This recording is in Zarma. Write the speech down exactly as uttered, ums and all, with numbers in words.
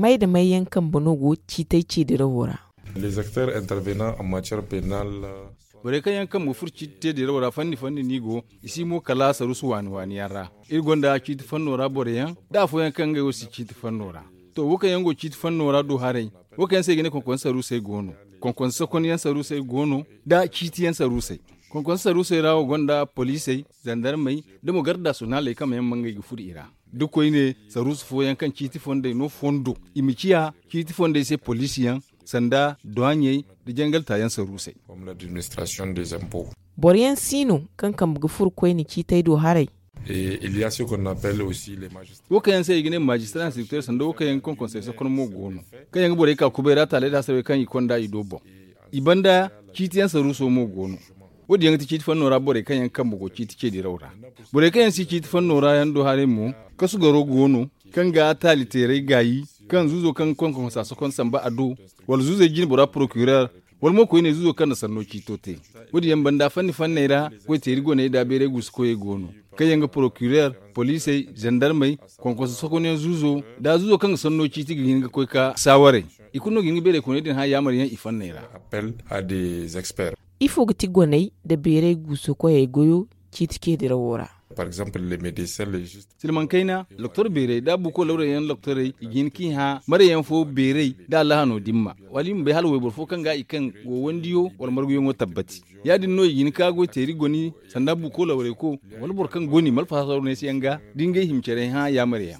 Ay da may yaŋ kambe no go ciitay ceedirawo ra? Les acteurs intervenants en matière pénale. Borey kaŋ yaŋ kambe ga furo ciiti ceedirawo ra fanni fanni no i go. I si mo kala saruusu waani waani yaŋ ra. Iri gonda ciiti fanno ra boro yaŋ da afooyaŋ kaŋ ngey wo si ciiti fanno ra. To, wo kaŋ yaŋ go ciiti fanno ra do haray, wo kaŋ yaŋ se i ga ne konkonse saruusey go no. Konkonse sokonyaŋ saruusey go no, da ciitiyaŋ saruusey. Konkonse saruusey ra wo gonda poliisey, zandarmey, da mo garda naasiyonaaley kaŋ ma yaŋ ma ngey ga furo i ra. Da koyne saruusu fooyaŋ kaŋ ciiti fondey no fondo, i ma ciya ciiti fondey se poliisiyaŋ, sanda duwaaɲey, da jangal taayaŋ saruusey. Boro yaŋ si no kaŋ kambe ga furo koyne ciitay do haray? Wo kaŋ yaŋ se i ga ne maajistara instructeur sanda wo kaŋ yaŋ ga konkonsey sokon mo go no, kaŋ yaŋ ga borey ka kubay ra taaley da hasarey kaŋ i konda i do boŋ. I banda ciitiyaŋ saruuso mo go no. Wo- din yaŋ ga ti ciiti fanno ra borey kaŋ yaŋ kambe go ciiti ceediraw ra. Borey kaŋ yaŋ si ciiti fanno ra yaŋ do haray mo, kasu garo go no, kaŋ ga taali teeray gaayi, kaŋ zuuzo kaŋ ga konkonsa sokon samba a do, wala zuuzey jine bora porokirer, wala mo koyne zuuzo kaŋ na sanno ciito te. Wo- din yaŋ banda fanni fanney ra, goy teeri goney da beeray guusu koyey go no, kaŋ yaŋ ga porokirer, poliisey, zandarmey, konkonsa sokonyaŋ zuuzo, da zuuzo kaŋ ga sanno ciiti ga hin ga koy ka saawaray. I kulu no ga hin ga beeray kooney din hã yaamaryaŋ i fanney ra. Ifo ga ti goney nda beeray guusu koyey goyo ciiti ceedirawo ra? Silmaŋ kayna, loktor beerey da buuko lawray yaŋ loktorey i ga hin k'i hã maryaŋ fo beerey da allahano dimma, wala i ma bay hala wayboro fo kaŋ ga i kaŋ go wandiyo wala marguyaŋo tabbati. Ya- din no i ga hin ka goy teeri goni, sanda buuko lawrayko, wala boro kaŋ goni malfahasaru neesiyaŋ ga da ngey hima care hã yaamaryaŋ.